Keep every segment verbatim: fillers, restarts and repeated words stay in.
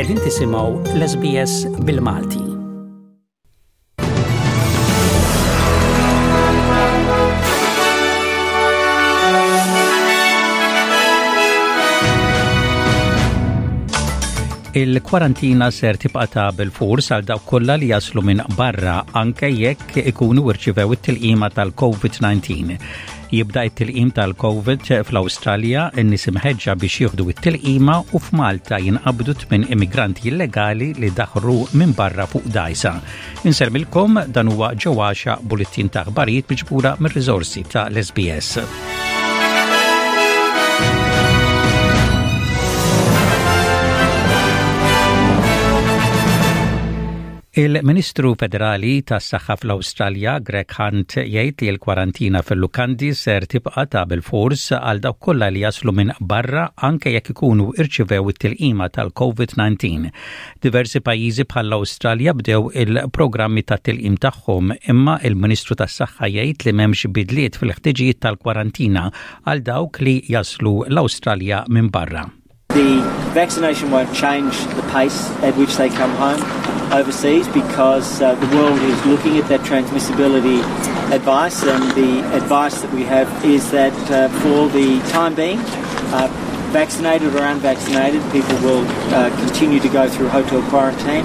Qegħdin tisimgħu l-S B S bil-Malti. Il-kwarantina ser tibqa' ta' bil-fors għal dawk kollha li jaslu minn barra, anke jekk ikunu rċivew it-tilqima tal-COVID nineteen. Jibda it-tilqim tal-COVID fl-Awstralja, in-nies imħeġġa biex jieħdu it-tilqima, u f'Malta jinqabdu tmien immigranti illegali li daħru minn barra fuq dgħajsa. Insellmilkom, dan huwa ġewwaxa bulletin ta' aħbarijiet miġbura mir-riżorsi ta' l-S B S. Il-Ministru Federali tas-Saħħa fl-Awstralja, Greg Hunt, jgħid li l-kwarantina fil-lukandi ser tibqa' ta' bil-fors għal dawk kollha li jaslu minn barra, anke jekk ikunu irċivew it-tilqima tal-COVID nineteen. Diversi pajjiżi bħall-Awstralja bdew il-programmi tat-tilqim tagħhom, imma il-Ministru tas-Saħħa jgħid li m'hemmx bidliet fil-ħtiġijiet tal-kwarantina għal dawk li jaslu l-Awstralja minn barra. The vaccination won't change the pace at which they come home overseas because uh, the world is looking at that transmissibility advice, and the advice that we have is that uh, for the time being, uh, vaccinated or unvaccinated, people will uh, continue to go through hotel quarantine.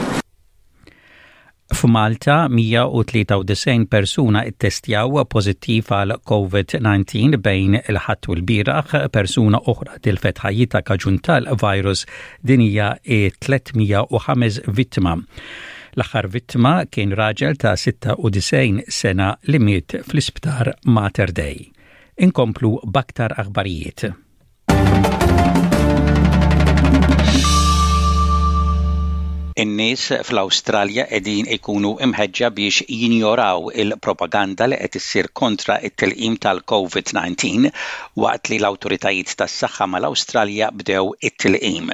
F'Malta, mija u tlieta u disgħin persuna ittestjaw pożittiv għal COVID nineteen bejn il-Ħadd u l-bieraħ, persuna oħra tilfet ħajjitha kaġun tal-virus, din hija tliet mija u ħames vittma. L-aħħar vittma kien raġel ta' sitta u disgħin sena li miet fl-isptar Mater Dei. Inkomplu b'aktar aħbarijiet. In-nies fl-Awstralja qegħdin ikunu imħeġġa biex jinjoraw il-propaganda li qed issir kontra it-tilqim tal-COVID nineteen waqt li l-awtoritajiet tas-saħħa mal-Awstralja bdew it-tilqim.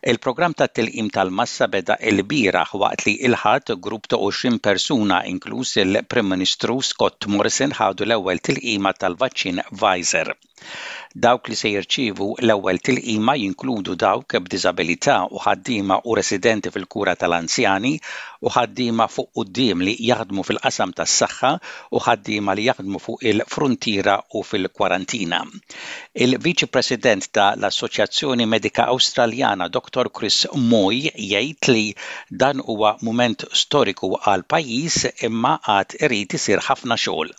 Il-programm tat-tilqim tal-massa beda il-bieraħ, waqt li il-Ħadd grupp ta' għoxrin persuna, inkluż il-Prim Ministru Scott Morrison, ħadu l-ewwel tilqima tal-vaċċin Pfizer. Dawk li se jirċievu l-ewwel tilqima jinkludu dawk b'diżabilità u ħaddiema u residenti fil-kura tal-anzjani u ħaddiema fuq quddiem li jaħdmu fil-qasam tas-saħħa u ħaddiema li jaħdmu fuq il-frontiera u fil-kwarantina. Il-Viċi President ta' l-Assoċjazzjoni Medika Awstraljana, Doctor Chris Moy, jgħid li dan huwa mument storiku għal pajjiż, imma għad irid isir ħafna xogħol.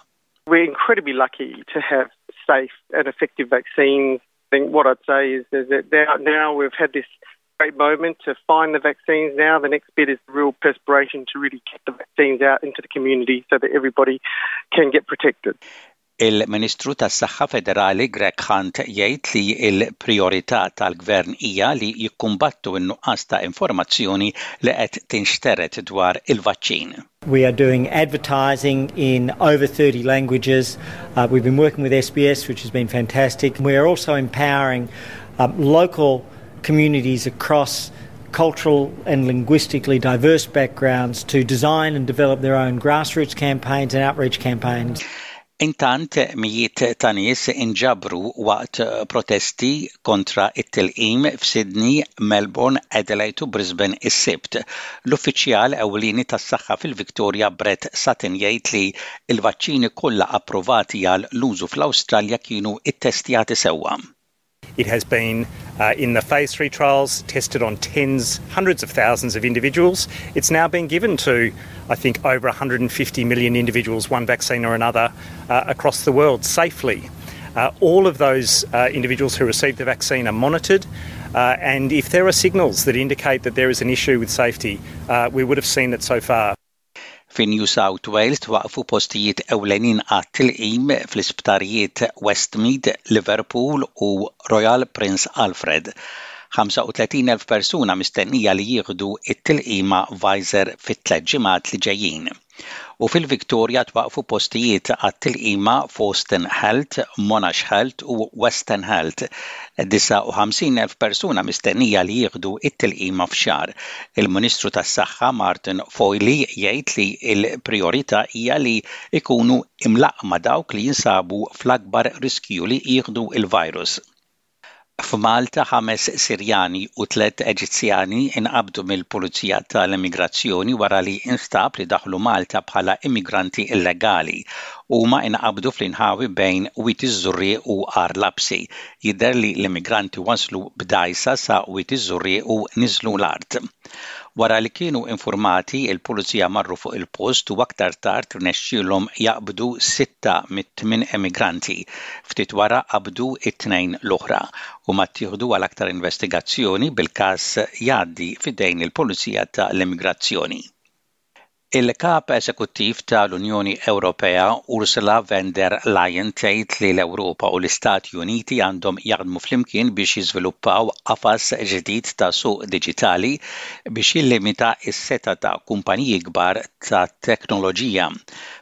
We're incredibly lucky to have safe and effective vaccines. I think what I'd say is, is that now, now we've had this great moment to find the vaccines. Now the next bit is real perspiration to really get the vaccines out into the community so that everybody can get protected. Il-Ministru tas-Saħħa Federali Greg Hunt jgħid li l-priorità tal-Gvern hija li jikkumbattu n-nuqqas ta' informazzjoni li qed tinxtered dwar il-vaċċin. We are doing advertising in over thirty languages. Uh, we've been working with S B S, which has been fantastic. We are also empowering um, local communities across cultural and linguistically diverse backgrounds to design and develop their own grassroots campaigns and outreach campaigns. Intant, mijiet ta' nies inġabru waqt protesti kontra it-tilqim f'Sydney, Melbourne, Adelaide u Brisbane is-Sibt. L-uffiċjal ewlieni tas-saħħa fil-Victoria, Brett Sutton, jgħid li l-vaċċini kollha approvati għal l-użu fl-Awstralja kienu ittestjati sewwa. It has been uh, in the phase three trials, tested on tens, hundreds of thousands of individuals. It's now been given to, I think, over one hundred fifty million individuals, one vaccine or another, uh, across the world safely. Uh, all of those uh, individuals who received the vaccine are monitored. Uh, and if there are signals that indicate that there is an issue with safety, uh, we would have seen it so far. Fi New South Wales twaqfu postijiet ewlenin għat-tilqim fl-isptarijiet Westmead, Liverpool u Royal Prince Alfred. ħamsa u tletin elf persuna mistennija li jieħdu it-tilqima Pfizer fit-tliet ġimgħat li ġejjin. U fil-Victoria twaqfu postijiet għat-tilqima f'Austin Health, Monash Health u Western Health. disgħa u ħamsin elf persuna mistennija li jieħdu it-tilqima f'xahar. Il-Ministru tas-Saħħa Martin Foley jgħid li l-priorità hija li jkunu imlaqqma dawk li jinsabu fl-akbar riskju li jieħdu il-virus. F'Malta ħames Sirjani u tliet Eġizzjani inqabdu mill-Pulizija tal-Immigrazzjoni wara li instab li daħlu Malta bħala immigranti illegali. Huma inqabdu fl-inħawi bejn Wied iż-Żurrieq u Għar Lapsi. Jidher li l-immigranti waslu b'dgħajsa sa Wied iż-Żurrieq u niżlu l-art. Wara li kienu informati, il-pulizija marru fuq il-post u aktar tard rnexxielhom jaqbdu sitta mit-tmien emigranti. Ftit wara qabdu it-tnejn l-oħra u ma ttieħdu għal aktar investigazzjoni bil-każ jgħaddi f'idejn il-Pulizija tal-Immigrazzjoni. Il-kap eżekuttiv tal-Unjoni Ewropea Ursula von der Leyen tgħid li l-Ewropa u l-Istati Uniti għandhom jaħdmu flimkien biex jiżviluppaw qafas ġdid ta' suq diġitali biex jillimita s-setgħa ta' kumpaniji kbar ta' teknoloġija.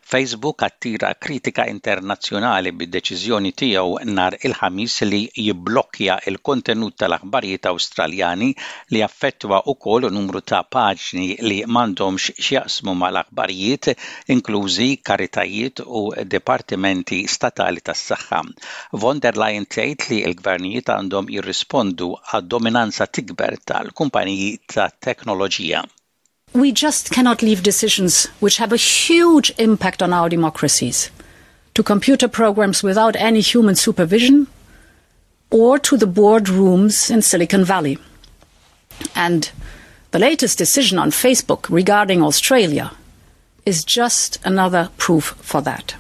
Facebook attira kritika internazzjonali bid-deċiżjoni tiegħu nhar il-Ħamis li jibblokkja il-kontenut tal-aħbarijiet Awstraljani li affettwa wkoll numru ta' paġni li m'għandhomx x'jaqsmu mal-aħbarijiet, inklużi karitajiet u dipartimenti statali tas-saħħa. Von der Leyen tgħid li l-gvernijiet għandhom jirrispondu għad-dominanza tikber tal-kumpaniji tat-teknoloġija. We just cannot leave decisions which have a huge impact on our democracies to computer programs without any human supervision or to the boardrooms in Silicon Valley. And the latest decision on Facebook regarding Australia is just another proof for that.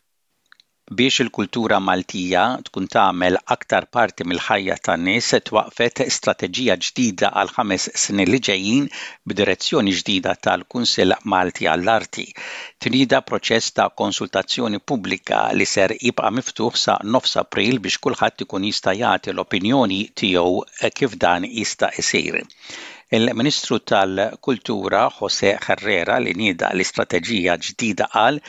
Biex il-kultura Maltija tkun tagħmel aktar parti mill-ħajja tan-nies twaqfet strateġija ġdida għal ħames snin li ġejjin b'direzzjoni ġdida tal-Kunsill Malti għall-Arti. Tnieda proċess ta' konsultazzjoni pubblika li ser jibqa' miftuħ sa nofs April biex kulħadd ikun jista' jagħti l-opinjoni tiegħu kif dan jista' isir. Il-Ministru tal-Kultura Jose Herrera li nieda l-istrateġija ġdida qal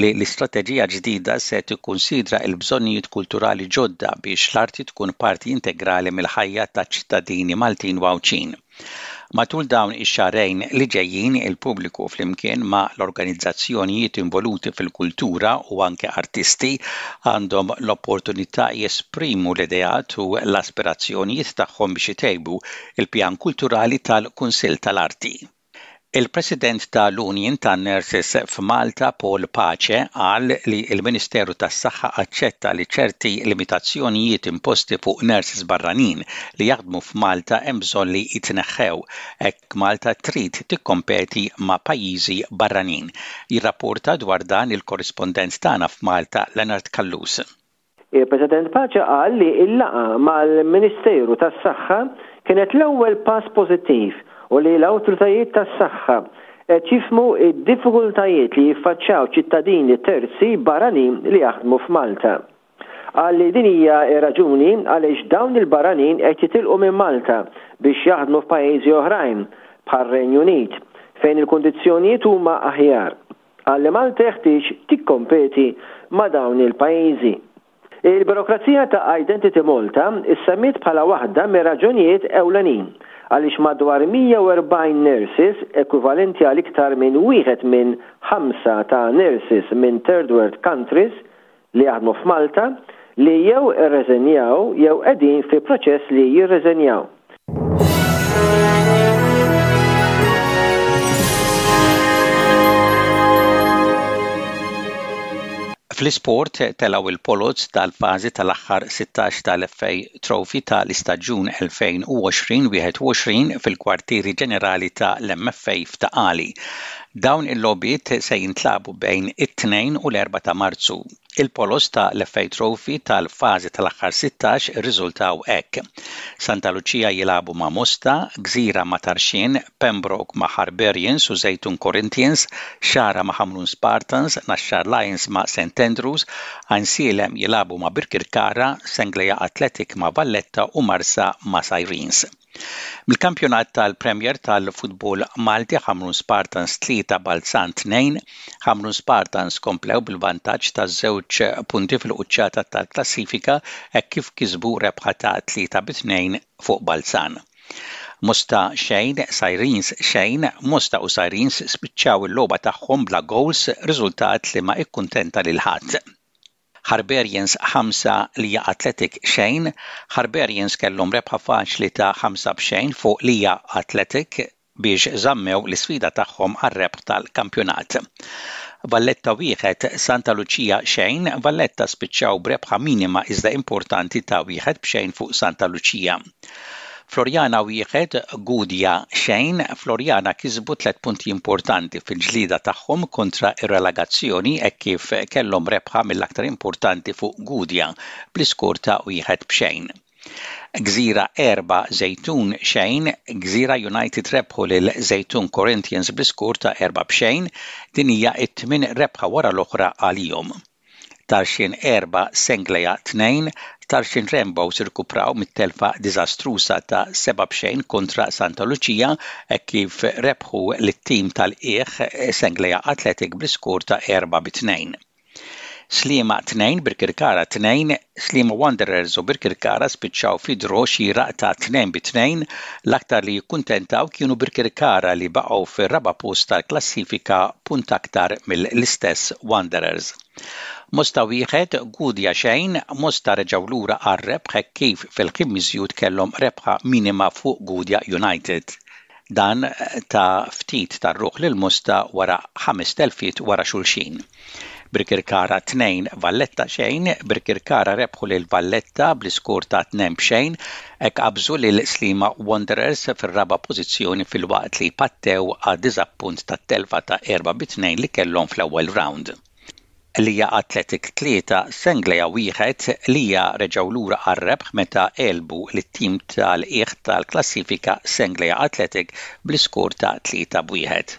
li l-istrateġija ġdida se tikkunsidra l-bżonnijiet kulturali ġodda biex l-arti tkun parti integrali mill-ħajja taċ-ċittadini Maltin u Għawdxin. Matul dawn ix-xahrejn li ġejjin il-pubbliku flimkien ma' l-organizzazzjonijiet involuti fil-kultura u anke artisti għandhom l-opportunità jesprimu l-ideat u l-aspirazzjonijiet tagħhom biex itejbu il-pjan kulturali tal-Kunsill tal-Arti. Il-President tal-Union tan-Nurses f'Malta Paul Pace qal li l-Ministeru tas-Saħħa aċċetta li ċerti limitazzjonijiet imposti fuq nurses barranin li jaħdmu f'Malta hemm bżonn li jitneħħew hekk Malta trid tikkompeti ma' pajjiżi barranin. Jirrapporta dwar dan il-korrispondent tagħna f'Malta Leonard Callus. Il-President Pace qal li l-laqgħa mal-Ministeru tas-Saħħa kienet l-ewwel pass pożittiv u li l-awtoritajiet tas-saħħa qed jifhmu id-diffikultajiet li jiffaċċjaw ċittadini terzi barranin li jaħdmu f'Malta. Qal li din hija raġuni għaliex dawn il-barranin qed jitilqu minn Malta biex jaħdmu f'pajjiżi oħrajn bħar-Renju Unit fejn il-kundizzjonijiet huma aħjar. Qal li Malta jeħtieġ tikkompeti ma' dawn il-pajjiżi. Il-burokrazija ta' Identity Malta issemmiet bħala waħda mir-raġunijiet ewlenin għaliex madwar mija u erbgħin nurses, ekwivalenti għal iktar minn wieħed minn ħamsa ta' nurses minn third world countries li jaħdmu f'Malta, li jew irreżenjaw jew qegħdin fi proċess li jirreżenjaw. Fl-isport telgħu il-poloz tal-fażi tal-aħħar sittax tal-F A Trophy tal-istaġun elfejn u għoxrin wieħed u għoxrin fil-kwartieri ġenerali tal-M F A f'Ta' Qali. Dawn il-logħbiet se jintlagħbu bejn it-tnejn u l-erbgħa ta' Marzu. Il-poloz tal-F A Trophy tal-fażi tal-aħħar sittax irriżultaw hekk. Santa Lucia jilagħbu ma' Mosta, Gżira ma' Tarxien, Pembroke ma' Harbarians u Żejtun Corinthians, Xagħra ma' Ħamrun Spartans, Naxxar Lions ma' Saint Andrews, Għajnsielem jilagħbu ma' Birkirkara, Senglea Athletic ma' Valletta u Marsa ma' Sirens. Mill-kampjonat tal-Premier tal-Futbol Malti, Ħamrun Spartans tlieta, Balzan tnejn. Ħamrun Spartans komplew bil-vantaġġ ta' żewġ punti fil-quċċata tal-klassifika hekk kif kisbu rebħa ta' tlieta bi tnejn fuq Balzan. Mosta xejn, Sirens xejn. Mosta u Sirens spiċċaw il-logħba tagħhom bla goals, riżultat li ma ikkuntenta lil ħadd. Harbarians ħamsa Lija Athletic xejn, Harbarians kellhom rebħa faċli ta' ħamsa b'xejn fuq Lija Athletic biex żammew l-isfida tagħhom għar-rebħ tal-kampjonat. Valletta wieħed Santa Lucia xejn, Valletta spiċċaw b'rebħa minima iżda importanti ta' wieħed b'xejn fuq Santa Lucia. Floriana wieħed Gudja xejn, Floriana kisbu tliet punti importanti fil-ġlida tagħhom kontra ir-relegazzjoni hekk kif kellhom rebħa mill-aktar importanti fuq Gudja bl-iskor ta' wieħed b'xejn. Gżira erba' Żejtun xejn, Gżira United rebħu lil Żejtun Corinthians bl-iskor ta' erba' b'xejn, din hija t-tmien rebħa wara l-oħra għalihom. Tarxien erba' Senglea tnejn, Tarxien Rainbows irkupraw mit-telfa diżastruża ta' seba' b'xejn kontra Santa Lucia hekk kif rebħu lit-tim tal-qiegħ Senglea Athletic bl-iskor ta' erba' bi tnejn. Sliema tnejn, Birkirkara tnejn, Sliema Wanderers u Birkirkara spiċċaw fi draw xieraq ta' tnejn bi tnejn, l-aktar li jikkuntentaw kienu Birkirkara li baqgħu fir-raba' post tal-klassifika punt aktar mill-istess Wanderers. Mosta wieħed, Gudja xejn, Mosta reġgħu lura għar-rebħ hekk kif fil-ħin miżjud kellhom rebħa minima fuq Gudja United. Dan ta ftit tar-ruħ lil Mosta wara ħames telfiet wara xulxin. Birkirkara tnejn, Valletta xejn, Birkirkara rebħu lil Valletta bl-iskor ta' tnejn b'xejn, hekk qabżu lil Sliema Wanderers fir-raba' pożizzjoni filwaqt li pattew għad-diżappunt tat-telfa ta' erba' bi tnejn li kellhom fl-ewwel round. Lija Athletic tlieta, Senglea wieħed, Lija reġgħu lura għar-rebħ meta għelbu lit-tim tal-qiegħ tal-klassifika Senglea Athletic bl-iskor ta' tlieta b'wieħed.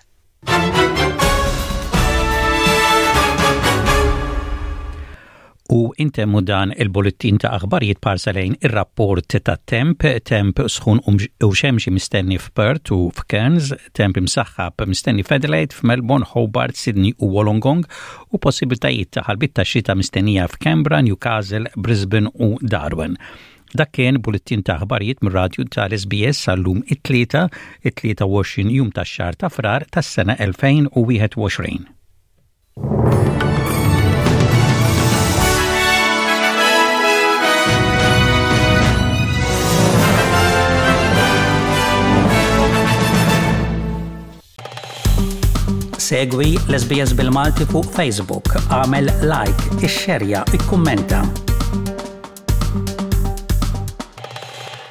U intemmu dan il-bullettin ta' aħbarijiet b'ħarsa lejn ir-rapport ta' temp, temp sħun u xemxi mistenni f'Perth u f'Cairns, temp imsaħħab mistenni f'Adelaide, f'Melbourne, Hobart, Sydney u Wollongong u possibiltajiet ta' ħalbiet ta' xita mistennija f'Canberra, Newcastle, Brisbane u Darwin. Dak kien bullettin ta' aħbarijiet mir-radju tal-S B S għal-lum it-tlieta, it-tlieta u għoxrin jum tax-xahar ta' Frar tas-sena elfejn u wieħed u għoxrin. Segwi l-S B S bil-Malti fuq Facebook, għamel like, ixxerja, ikkummenta.